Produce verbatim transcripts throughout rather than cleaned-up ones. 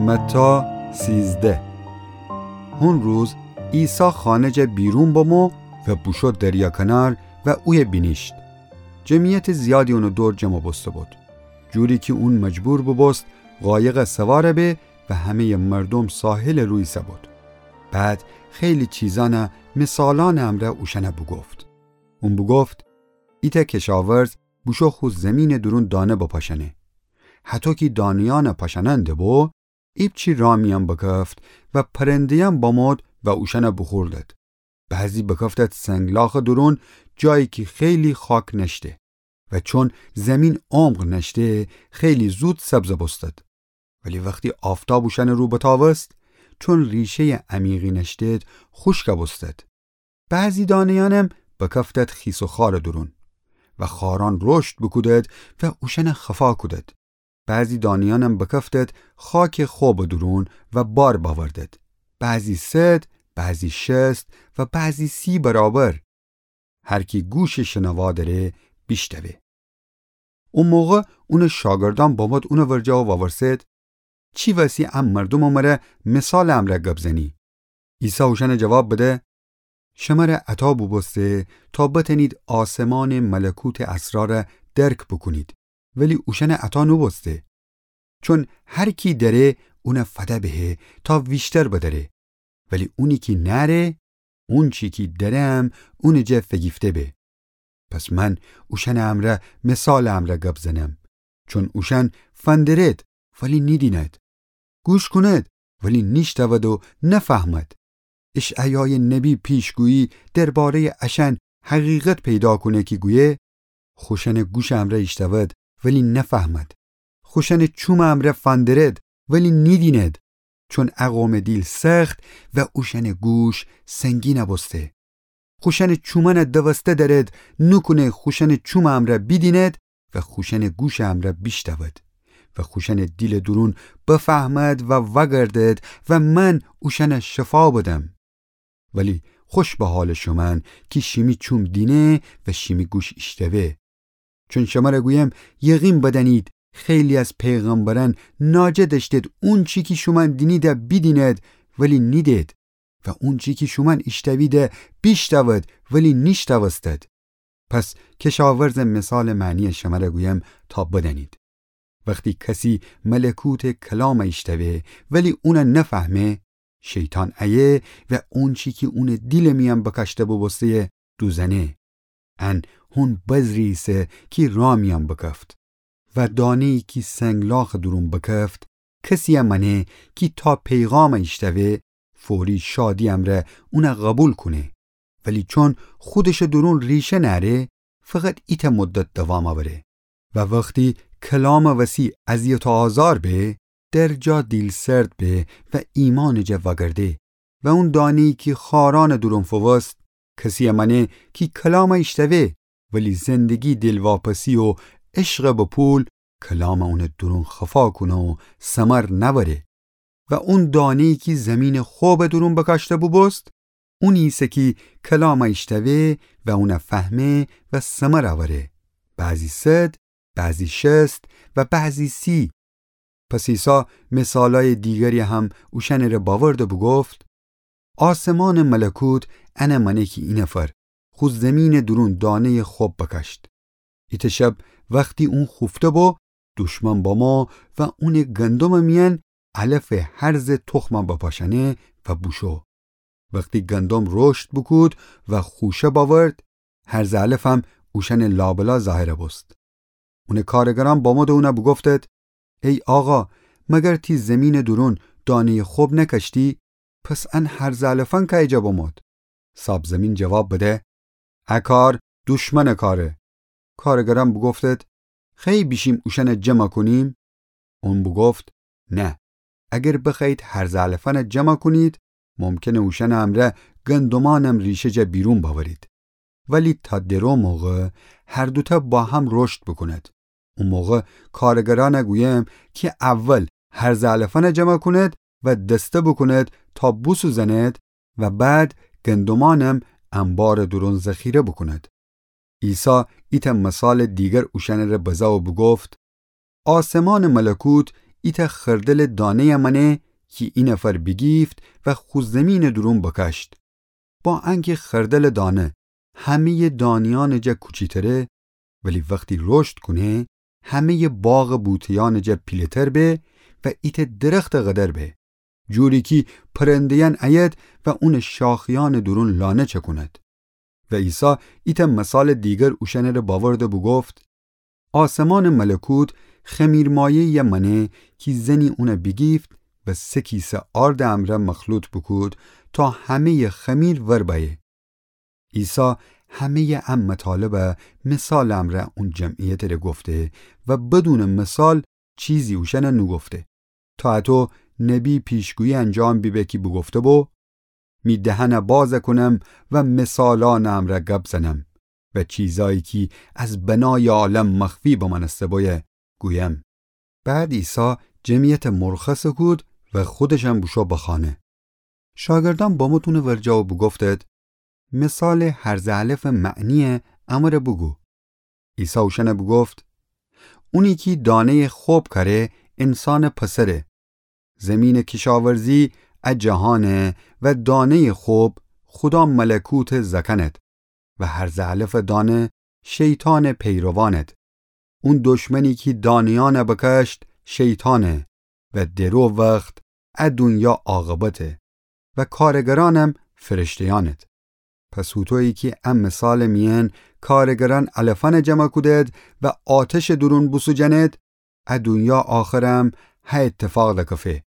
متی سیزده. هون روز عیسی خانه جا بیرون بمو و بوشو دریا کنار و اویه بینیشت. جمعیت زیادی اونٚ دور جمع بوسته بود، جوری کی اون مجبور ببوست قایقٚ سوار به و همه‌یٚ مردوم ساحلٚ رو ایسه بود. بعد خیلی چیزأن مثالأنٚ امرأ اوشأن بوگفت. اون بوگفت: ایتأ کشاورز بوشو خو زیمینٚ دورون دانه بپاشأنه. هطو کی دانه‌یأن پاشأنأن ده‌بو، ایپچی راه میأن بکفت و پرنده‌یأن بمود و اوشأن بوخوردد. بعضی بکفتد سنگلاخٚ دورون، جایی کی خیلی خاک نأشته. و چون زیمین عمق نأشته، خیلی زود سبز بوستد. ولی وختی آفتاب اوشأنٚ رو بتاوست، چون ریشه‌یٚ عمیقی نأشتد، خوشک بوستد. بعضی دانه‌یأنم بکفتد خیس و خارٚ دورون و خارأن رشد بوکودد و اوشأن خفا کودد. بعضی دانه‌یأنم بکفتد خاکٚ خب دورون و بار بأوردد. بعضی صد، بعضی شصت و بعضی سی برابر. هر کی گوشٚ شنوا دأره، بیشتوه. او موقع اونٚ شاگردأن بمود اونٚ ورجه و وورسد: چی وسی ا مردومٚ مره مثالٚ امرأ گب زنی؟ عیسی اوشأن جواب بده: شمره عطا بوبوسته تا بتأنید آسمانٚ ملکوتٚ اسرار درک بوکونید، ولی اوشأن عطا نوبوسته. چون هر کی دأره، اون فده بهه تا ویشتر بدأره، ولی اونی کی نأره، اونچی کی دأره‌م اونٚ جا فیگیفته به. پس من اوشأنٚ امرأ مثالٚ امرأ گب زنم، چون اوشأن فندرد ولی نیدیند، گوش کونید ولی نیشتود و نفهمید. اشعیایٚ نبی پیشگویی درباره‌یٚ اشأن حقیقت پیدا کونه کی گویه: خوشأنٚ گوشٚ امرأ ایشتوید ولی نفهمید. خوشأنٚ چومٚ امرأ فندرد ولی نیدیند، چون ا قومٚ دیل سخت و اوشأنٚ گوش سنگین بوسته. خوشأنٚ چومأن دوسته دأرد، نوکونه خوشأنٚ چومٚ امرأ بیدیند و خوشأنٚ گوشٚ امرأ بیشتود و خوشأنٚ دیلٚ دورون بفهمد و وأگردد و من اوشأن شفا بدم. ولی خوش به حالٚ شومأن کی شیمی چوم دینه و شیمی گوش ایشتوه. چون شمره گویم، یقین بدأنید، خیلی از پیغمبرأن ناجه دأشتید اونچی کی شومأن دینیده بیدینید ولی نیدید، و اونچی کی شومأن ایشتویده بیشتوید ولی نیشتوستید. پس کشاورزٚ مثالٚ معنی شمره گویم تا بدأنید. وختی کسی ملکوتٚ کلام ایشتوه ولی اون نفهمه، شیطان ایه و اونچی کی اونٚ دیلٚ میأن بکاشته بوبوسته‌یه دوزأنه. ان هون بذری ایسه کی راه میأن بکفت. و دانه‌یی کی سنگلاخٚ دورون بکفت، کسی‌یه مأنه کی تا پیغام ایشتوه، فوری شادی امرأ اون قوبیل کونه. ولی چون خودشٚ دورون ریشه نأره، فقط ایتأ مدت دوام اوره. و وختی کلامٚ وسی اذیت و آزار به، در جا دیلسرد به و ایمانٚ جا وأگرده. و اون دانه‌یی کی خارأنٚ دورون فووست، کسی‌یه مأنه کی کلام ایشتوه، ولی زندگی دیلواپسی و عشقٚ به پول کلام اونٚ دورون خفا کونه و ثمر نأوره. و اون دانه‌یی کی زیمینٚ خب دورون بکاشته بوبوست، اونی ایسه کی کلام ایشتوه و اون فهمه و ثمر اوره، بعضی صد، بعضی شصت و بعضی سی. پس عیسی مثالأیٚ دیگری هم اوشأنٚره بأورد و بوگفت: آسمانٚ ملکوت انٚ مأنه کی اینفر خو زیمینٚ دورون دانه‌یٚ خب بکاشت. ایتأ شب وختی اون خوفته بو، دشمن بامو و اونٚ گندمٚ میأن علفٚ هرزٚ تخم بپاشأنه و بوشو. وختی گندم رشد بوکود و خوشه بأورد، هرزٚ علفم اوشأنٚ لابلا ظاهر بوست. اونٚ کارگرأن بامود و اون بوگفتد: ای آقا، مگر تی زیمینٚ دورون دانه‌یٚ خب نکاشتی؟ پس ان هرزٚ علفأن کایجا بامود؟ صاب زیمین جواب بده: ا کار دشمنٚ کاره. کارگرأن بوگفتد: خی بیشیم اوشأن جمع کونیم؟ اون بوگفت: نه، اگر بخوأیید هرزٚ علفأن جمع کونید، ممکنه اوشأنٚ امرأ گندمأنم ریشه جا بیرون بأورید. ولی تا درو موقع هر دوتأ با هم رشد بوکوند. او موقع کارگرأن گویم کی اول هرزٚ علفأن جمع کونید و دسته بوکونید تا بوسوزنید و بعد گندمأنم انبارٚ دورون ذخیره بوکونید. عیسی ایتأ مثالٚ دیگر اوشأنٚره بزه و بوگفت: آسمانٚ ملکوت ایتأ خردلٚ دانه‌یٚ مأنه کی اینفر بیگیفت و خو زیمینٚ دورون بکأشت. با انکی خردلٚ دانه همه‌یٚ دانه‌یأنٚ جا کوچیتره، ولی وختی رشد کونه، همه‌یٚ باغٚ بوته‌یأنٚ جا پیله‌تر به و ایتأ درختٚ قدر به، جوری کی پرنده‌یأن ایید و اونٚ شاخه‌یأنٚ دورون لانه چکوند. و عیسی ایتأ مثالٚ دیگر اوشأنٚره بأورد و بوگفت: آسمانٚ ملکوت خمیرمایه‌یٚ مأنه کی زنی اون بیگیفت و سه کیسه آردٚ امرأ مخلوط بوکود تا همه‌یٚ خمیر ور بأیه. عیسی همه‌یٚ ا مطالبَ مثالٚ امرأ اون جمعیتٚره گفته و بدونٚ مثال چیزی اوشأنَ نوگفته، تا اتو نبی پیشگویی انجام بیبه کی بوگفته بو: می دهنَ بازَ کونم و مثالأنٚ امرأ گب زنم و چیزأیی کی از بنایٚ عالم مخفی بمأنسته بویه گویم. بعد عیسی جمعیتَ مرخصَ کود و خودشم بوشو بخانه. شاگردأن بمو تونه ورجه و بوگفتید: مثالٚ هرزه الفٚ معنیَ امره بوگو. عیسی اوشأنَ بوگفت: اونی کی دانه‌یٚ خب کأره انسانٚ پسره. زیمینٚ کشاورزی ا جهانه و دانه‌یٚ خب خودا ملکوتٚ زأکأنید و هرزه الفٚ دانه شیطانٚ پیروانید. اون دشمنی کی دانه‌یأنَ بکأشت شیطانه و درو وخت ا دونیا عاقبته و کارگرأنم فرشته‌یأنید. پس هوطویی کی ا مثالٚ میأن کارگرأن علفأنَ جمع کودید و آتشٚ دورون بوسوجأنید، ا دونیا آخرم ه اتفاق دکفه.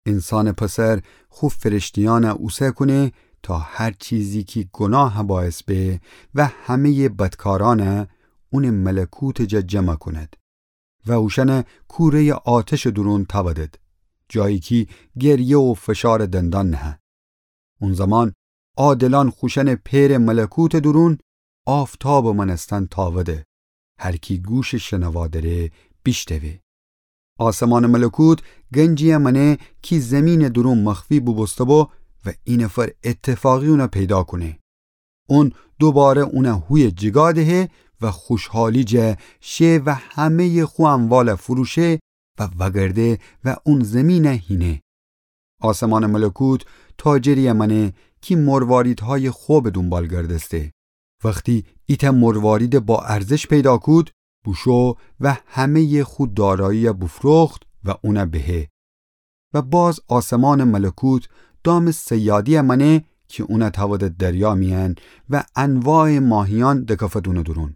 انسانٚ پسر خو فرشته‌یأنَ اوسه کونه تا هر چیزی کی گناه باعث به و همه‌یٚ بدکارأنَ اونٚ ملکوتٚ جا جمع کونید و اوشأنَ کوره‌یٚ آتشٚ دورون تأودید، جایی کی گریه و فشارٚ دندان نهه. اون زمان عادلأن خوشأنٚ پئرٚ ملکوتٚ دورون آفتابٚ مأنستن تأوده. هر کی گوشٚ شنوا دأره بیشتوه. آسمانٚ ملکوت گنجی‌یٚ مأنه کی زیمینٚ دورون مخفی بوبوسته بو و اینفر اتفاقی اونَ پیدا کونه. اون دوباره اونَ هویه جیگا دهه و خوشحالی جا شه و همه‌یٚ خو اموالَ فروشه و وأگرده و اون زیمینَ هینه. آسمانٚ ملکوت تاجری‌یٚ مأنه کی مرواریدهایٚ خبٚ دونبال گردسته. وختی ایتأ مرواریدٚ با ارزش پیدا کود، بوشو و همه‌یٚ خو دارایی‌یَ بوفروخت و اونَ بهه. و باز آسمانٚ ملکوت دامٚ صیادی‌یٚ مأنه کی اونَ تأودید دریا میأن و انواعٚ ماهیأن دکفید اونٚ دورون.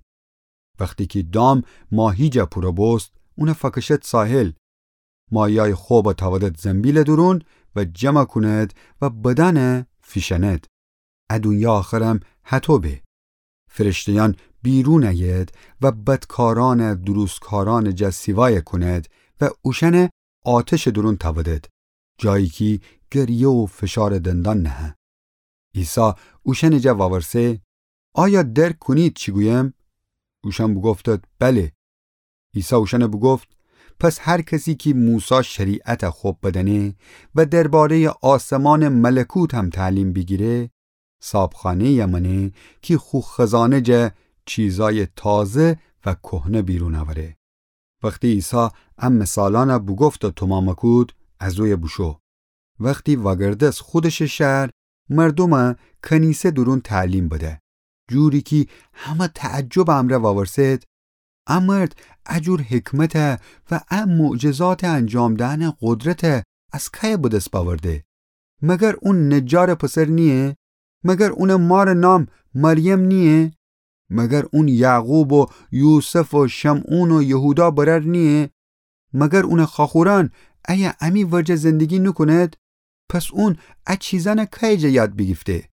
وختی کی دام ماهی جا پورَ بوست، اونَ فأکشید ساحل. ماهی‌یأیٚ خبَ تأودید زنبیلٚ دورون و جمع کونید و بدأنَ فیشأنید. ا دونیا آخرم هطو به. فرشته‌یأن بیرون ایید و بدکارأنَ دروستکارأنٚ جا سیوایَ کونید و اوشأنَ آتشٚ دورون تأودید، جایی کی گریه و فشارٚ دندان نهه. عیسی اوشأنٚ جا وورسه: آیا درک کونید چی گویم؟ اوشأن بوگفتید: بله. عیسی اوشأنَ بوگفت: پس هر کسی کی موسی شریعتَ خب بدأنه و درباره‌یٚ آسمانٚ ملکوت هم تعلیم بیگیره، صابخانه‌یٚ مأنه کی خو خزانه جا چیزأیٚ تازه و کهنه بیرون اوره. وختی عیسی ا مثالأنَ بوگفت و تومامَ کود، از اویه بوشو. وختی وأگردس خودشٚ شهر، مردومَ کنیسه دورون تعلیم بده، جوری کی همه تعجبٚ امرأ وأورسه‌ید: ا مرد ا جور حکمتَ و ا معجزاتٚ انجام دهنٚ قدرتَ از کأیَ به دس بأورده؟ مگر اون نجارٚ پسر نییه؟ مگر اونٚ مارٚ نام مریم نییه؟ مگر اون یعقوب و یوسف و شمعون و یهودا برأر نییه؟ مگر اونٚ خواخورأن ایه امی ورجه زندگی نوکونید؟ پس اون ا چیزأنَ کأیٚ جا یاد بیگیفته؟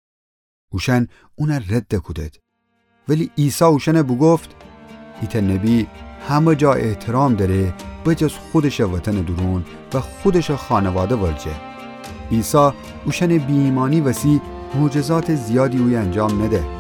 اوشأن اونَ رد کودید. ولی عیسی اوشأنَ بوگفت: ایتأ نبی همه جا احترام دأره، بجز خودشٚ وطنٚ دورون و خودشٚ خانواده ورجه. عیسی اوشأنٚ بی‌ایمأنی وسی معجزاتٚ زیادی اویه انجام نده.